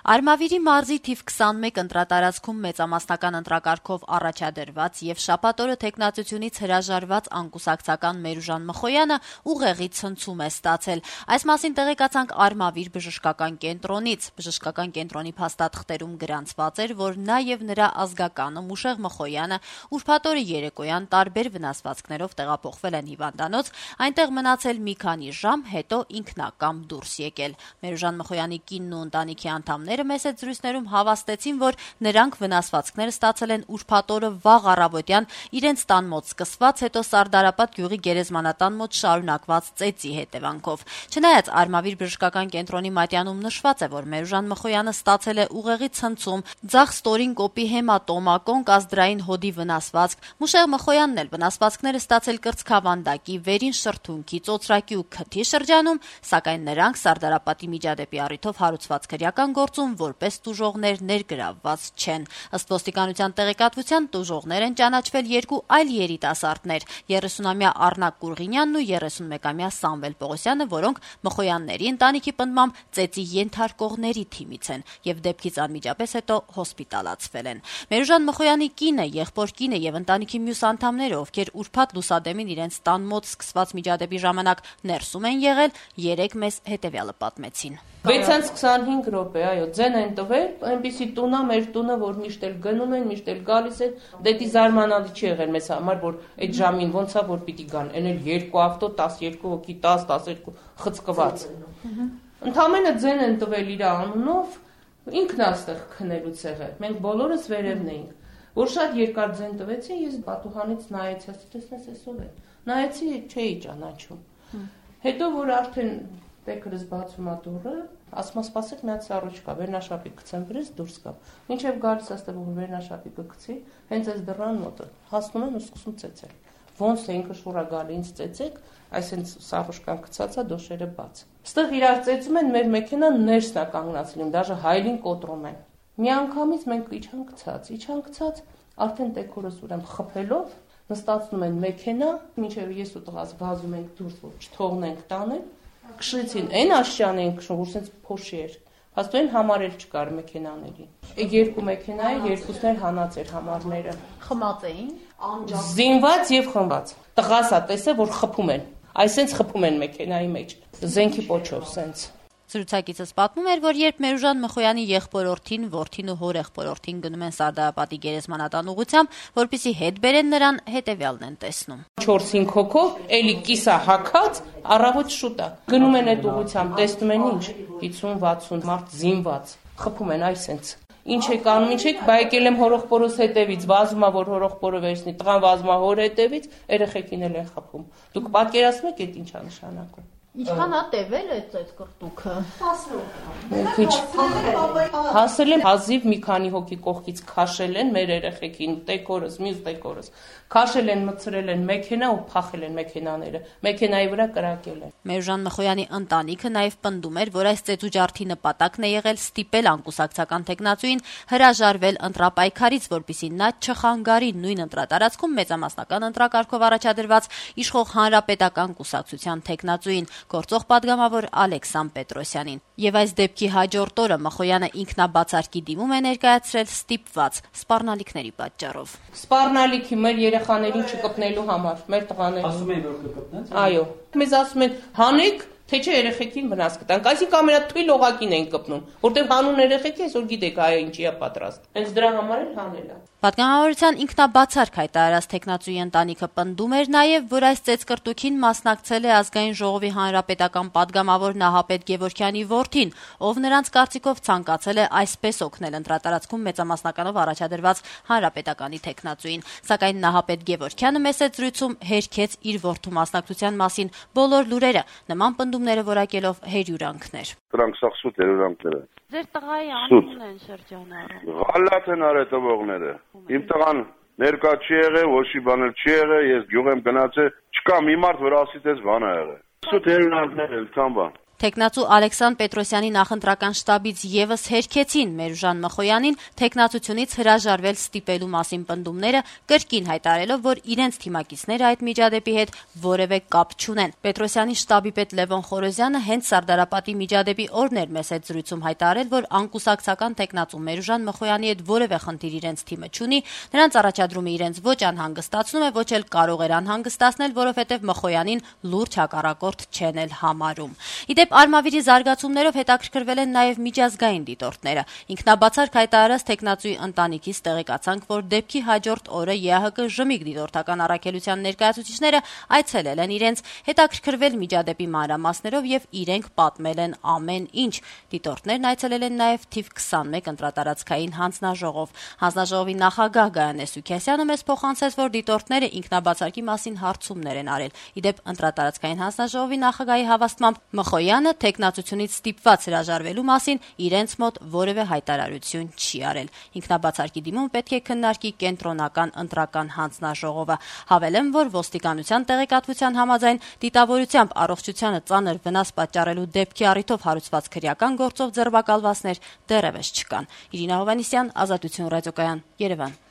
Արմավիրի մարզի թիվ 21 ընտրատարածքում մեծամասնական ընտրակարգով առաջադրված եւ շաբաթ օրը տեխնացությունից հրաժարված անկուսակցական Մերուժան Մխոյանը ուղեղի ցնցում է ստացել։ Այս մասին տեղեկացանք Արմավիր բժշկական կենտրոնից։ Բժշկական կենտրոնի փաստաթղթերում գրանցված էր, որ նա եւ նրա ազգականը Մուշեղ Մխոյանը ուրբաթ օրը երեկոյան տարբեր վնասվածքներով տեղափոխվել են հիվանդանոց, այնտեղ մնացել մի քանի ժամ, հետո ինքնակամ դուրս եկել։ Մերուժան Մխոյանի կինն ու ընտանիքի անդամները մեծ զրույցներում հավաստեցին, որ նրանք վնասվածքները ստացել են ուրբաթ օրը վաղ առավոտյան իրենց տան մոտ սկսված, հետո Սարդարապատ գյուղի գերեզմանատան մոտ շարունակված ծեծի հետևանքով։ Չնայած Արմավիր բժշկական կենտրոնի մատյանում նշված է, որ Մերուժան Մխոյանը ստացել է ուղեղի ցնցում, ձախ ստորին կոպի հեմատոմա, կոնկազդրային հոդի վնասվածք, Մուշեղ Մխոյանն էլ վնասվածքները ստացել կրծքավանդակի, վերին շրթունքի, ծոծրակի ու քթի շրջանում, սակայն նրանք Սարդարապատի միջադեպի առիթով հարուցված քրեական գործում որպես տուժողներ ներգրավված չեն։ Ըստ ոստիկանության տեղեկատվության տուժողներ են ճանաչվել երկու այլ երիտասարդներ՝ 30-ամյա Առնակ Կուրղինյանն ու 31-ամյա Սամվել Պողոսյանը, որոնք Մխոյանների ընտանիքի պնդմամբ ծեծի ենթարկողների թիմից են եւ դեպքից անմիջապես հետո հոսպիտալացվել են։ Մերուժան Մխոյանի կինը, եղբոր կինը եւ ընտանիքի մյուս անդամները, ովքեր ուրբաթ լուսադեմին իրենց տան մոտ սկսված միջադեպի ժամանակ ներսում են եղել, երեկ մեզ հետեւյալը պատմեցին։ 6:25 րոպե, այո, ձեն են տվել, այնպիսի տունա մեր տունը, որ միշտ էլ գնում են, միշտ էլ գալիս են, դեպի զարմանալի չի եղել մեզ համար, որ այդ ժամին ոնց է որ պիտի գան, այն էլ երկու ավտո, 12 հոգի, 10-12 խցկված։ Ընդամենը ձեն են տվել իր անունով, ինքն այստեղ քնելուց եղել։ Մենք բոլորս վերևն էինք, որ շատ երկար ձեն տվեցին, ես պատուհանից նայեցի, ասեցի, տեսնես էսով է։ Նայեցի, չէի ճանաչում։ Հետո որ արդեն տեքրս բացում է դուռը, ասում եմ սպասեք մի հատ սառույց կա, վերնաշապիկ գցեմ վրես դուրս գամ։ Մինչև գալիս աստեղ որ վերնաշապիկը գցի, հենց այս դռան մոտը հասնում են ու սկսում ծեծել։ Ոնց է ինքը շուրա գալի ինձ ծեծեք, այս հենց սառուշկան գցած է, դոշերը բաց։ Այստեղ իրար ծեծում են, մեր մեքենան ներսն է կանգնացել, դաժե հայլին կոտրում են։ Մի անգամից մենք իջան գցած, արդեն տեքորս ուրեմն խփելով նստացնում են մեքենա, մինչև ես ու տղաս վազում ենք դուրս, որ չթողնենք տանել։ Քշեցին, այն աշճան էին քշում, որ սենց փոշի էր։ Փաստորեն համարել չկար մեքենաների։ Երկու մեքենա է, երկուսն էլ հանած էր համարները։ Խմած էին, զինված եւ խմված։ Տղասա տեսե, որ խփում են։ Այսենց խփում են մեքենայի մեջ։ Զենքի պոչով սենց։ Զրուցակիցս պատմում էր, որ երբ Մերուժան Մխոյանի եղբորորդին, որդին ու հորեղբորորդին գնում են Սարդարապատի գերեզմանատան ուղղությամբ, որպեսզի հետ բերեն նրան, հետեւյալն են տեսնում։ 4-5 հոգով, էլի կիսա հագած, առավոտ շուտ է։ Գնում են այդ ուղղությամբ, տեսնում են ինչ, 50-60 մարդ զինված, խփում են այսենց։ Ինչ եք անում, ինչ եք, բա եկել եմ հորեղբորոս հետևից, վազում է որ հորեղբորը վերցնի, տղան վազում է հոր հետևից, երեխեքին էլ են խփում։ Դուք պատկերացնում եք այդ ինչա նշանակում։ Ինչքան է տևել այդ կրտուքը։ Հասել են հազիվ մի քանի հոգի կողքից քաշել են մեր երեխեքին, տեկորս, մյուս տեկորս։ Քաշել են, մցրել են մեքենա ու փախել են մեքենաները։ Մեքենայի վրա կրակել են։ Մերուժան Մխոյանի ընտանիքը նաև պնդում էր, որ այս ծեծուջարդի նպատակն է եղել ստիպել անկուսակցական տեխնացուին հրաժարվել ընտրապայքարից, որպեսզի նա չխանգարի նույն ընտրատարածքում մեծամասնական ընտրակարգով առաջադրված իշխող հանրապետական կուսակցության տեխնացուին, գործող падգամավոր Ալեքսան Պետրոսյանին։ Եվ այս դեպքի հաջորդ օրը Մխոյանը ինքնաբացարկի դիմում է ներկայացրել ստիպված սպառնալիքների պատճառով։ Սպառնալիքի մեր երեխաներին չկպնելու համար, մեր տղաներին։ Ասում են որ կկպնեն։ Այո, մեզ ասում են հանեք, թե չէ երեխեքին վնաս կտանք։ Այսինքն ամենաթույլ օղակին են կպնում, որտեղ հանուն երեխեքի այսօր գիտեք այ ինչի է պատրաստ։ Հենց դրա համար էլ հանել է։ Պատգամավորության ինքնաբացարկ հայտարարած տեխնացուի ընտանիքը պնդում էր նաև, որ այս ծեծկրտուքին մասնակցել է Ազգային ժողովի հանրապետական падգամավոր Նահապետ Գևորգյանի որդին, ով նրանց կարծիքով ցանկացել է այսպես օգնել ընտրատարածքում մեծամասնականով առաջադրված հանրապետականի տեխնացուին, սակայն Նահապետ Գևորգյանը մեծ զրույցում հերքեց իր որդու մասնակցության մասին բոլոր լուրերը, նման պնդումները որակելով հերյուրանքներ։ Դրանք սա սուտ հերյուրանքներ են։ Ձեր տղայի անունն են շրջանառում։ Գալատ են արել տվողները։ Իմ տղան ներկա չի եղել, ոչ մի բան չի եղել, ես գյուղ եմ գնացել, չկա մի մարդ, որ ասի տես բան ա եղել։ Սուտ հերյուրանքներ էլ, քան բան։ Թեկնածու Ալեքսան Պետրոսյանի նախընտրական շտաբից եւս հերքեցին Մերուժան Մխոյանին թեկնածությունից հրաժարվել ստիպելու մասին պնդումները, կրկին հայտարարելով, որ իրենց թիմակիցները այդ միջադեպի հետ որևէ կապ չունեն։ Պետրոսյանի շտաբի պետ Լևոն Խորոզյանը հենց Սարդարապատի միջադեպի օրն էր մեծ հետ զրույցում հայտարարել, որ անկուսակցական թեկնածու Մերուժան Մխոյանի հետ որևէ խնդիր իրենց թիմը չունի, նրանց առաջադրումը իրենց ոչ անհանգստացնում է, ոչ էլ կարող էր անհանգստացնել, որովհետև Մխոյանին լուրջ հակառակորդ չեն էլ համարում։ Իդեպ Արմավիրի զարգացումներով հետաքրքրվել են նաև միջազգային դիտորդները։ Ինքնաբացարկ հայտարարած թեկնածուի ընտանիքից տեղեկացանք, որ դեպքի հաջորդ օրը ԵԱՀԿ ԺՄԻԳ դիտորդական առաքելության ներկայացուցիչները այցելել են իրենց, հետաքրքրվել միջադեպի մանրամասներով եւ իրենք պատմել են ամեն ինչ։ Դիտորդներն այցելել են նաև թիվ 21 ընտրատարածքային հանձնաժողով։ Հանձնաժողովի նախագահ Գայանե Սուքիասյանը մեզ փոխանցեց, որ դիտորդները ինքնաբացարկի մասին հարցումներ են արել։ Իդեպ ընտրատարածքային հանձնաժողովի նախագահի հավաստմամբ Մխոյանը թեկնածությունից ստիպված հրաժարվելու մասին իրենց մոտ որևէ հայտարարություն չի արել։ Ինքնաբացարկի դիմում պետք է քննարկի կենտրոնական ընտրական հանձնաժողովը։ Հավելեմ, որ ոստիկանության տեղեկատվության համաձայն դիտավորությամբ առողջությանը ծանր վնաս պատճառելու դեպքի առիթով հարուցված քրեական գործով ձերբակալվածներ դեռևս չկան։ Իրինա Հովհաննիսյան, Ազատություն ռադիոկայան, Երևան։